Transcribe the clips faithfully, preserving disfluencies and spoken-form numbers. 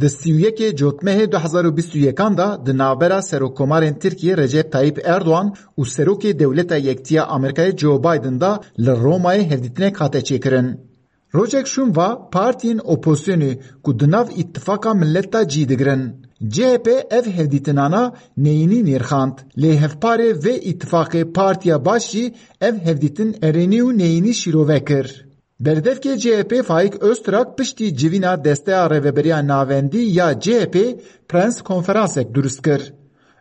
Di sî û yekê Cotmehê du hezar û bîst û yekan de di navbera Serokkomarên Tirkiyê Recep Tayyip Erdogan û Serokê Dewleta Yektiya Amerîkayê Joe Biden de li Romayê hevdîtinek hate çêkirin. Rojek şûn va partiyên opozisyonê ku di nav îtifaka milet de cî digirin, C H P ev hevdîtinana neyînî nirxand, lê hevparê vê îtifaqê Partiya Baş jî ev hevdîtin erênî û neyînî şîrove kir. Berdevkê C H P Faik Öztrak piştî civîna Desteya Rêveberiya Navendî ya C H P prens konferansek durust kir.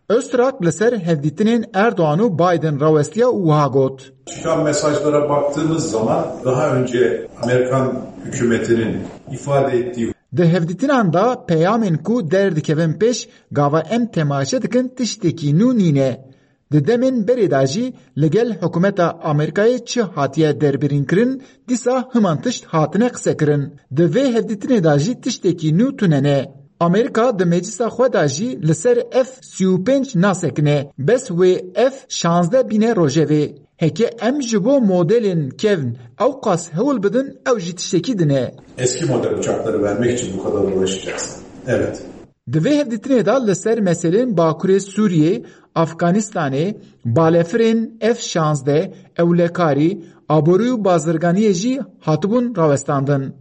Öztrak li ser hevdîtinên Erdogan û Biden rawestiya û wiha got. Çıkan mesajlara baktığımız zaman daha önce Amerikan hükümetinin ifade ettiği Di hevdîtinan de peyamên ku derdikevin pêş gava em temaşe dikin tiştekî nû nîne. Di demên berê de jî li gel hikûmeta Amerîkayê çi hatiye derbirînkirin, dîsa himan tişt hatine qisekirin. Di vê hevdîtinê de jî tiştekî nû tune ne. Amerîka di meclisa xwe de jî li ser F sî û pênc nasekine, bes wê F şazdeh bîne rojevê. Heke em ji bo modelên kevn ewqas hewl bidin, ew jî tiştekî din e. Eski model uçakları vermek için bu kadar uğraşacaksın. Evet. Di vê hevdîtinê de li ser meselên Bakurê Sûriyê, Afganistanê, balefirên F şazdeh, ewlekarî, aborî û bazirganiyê jî hatibûn rawestandin.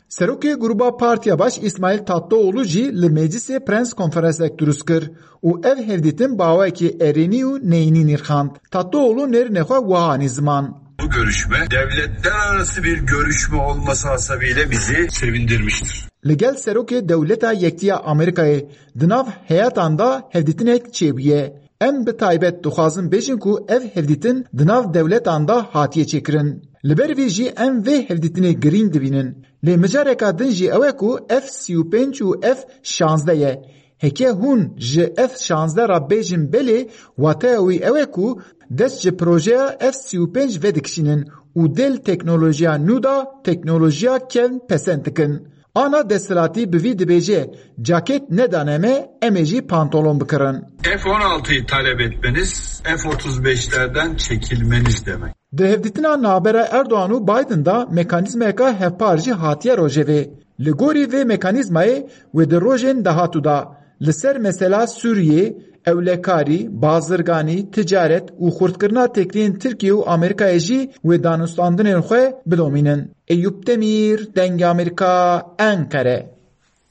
Serokê Gruba Partiya Baş Îsmaîl Tatlıoğlu jî li meclisê prens konferansek durust kir û ev hevdîtin bi awayekî erênî û neyînî nirxand. Tatlıoğlu nerînê xwe wiha anî ziman. Bu görüşme devletler arası bir görüşme olması hasebiyle bizi sevindirmiştir. Li gel Serokê Dewleta Yektiya Amerîkayê di nav heyatan de hevdîtinek çêbûye. Em bi taybet dixwazin bêjin ku ev hevdîtin di nav dewletan de hatiye çêkirin. Li ber vê jî em vê hevdîtinê girîng dibînin. Lê mijareka din jî ew e ku F sî û pênc û F şazdeh ye. Heke hûn ji F şazdeh re bêjin belê, wateya wî ew e ku dest ji projeya F sî û pênc vedikişînin û dê li teknolojiya nû de teknolojiya kevn pesend dikin. Ana desthilatî bi vî dibêje, caket nedane me, em ê jî pantolon bikirin. F on altıyı talep etmeniz, F otuz beşlerden çekilmeniz demek. Di hevdîtina navbera Erdogan û Biden de mekanîzmayeka hevpar jî hatiye rojevê. Li gorî vê mekanîzmayê wê di rojên dahatû de li ser mesela Sûriyê, ewlekarî, bazirganî, ticaret û xurtkirina têkiliyên Tirkiye û Amerîkayê jî wê danûstandinên xwe bidomînin. Eyûp Demîr, Dengê Amerîka, Enqere.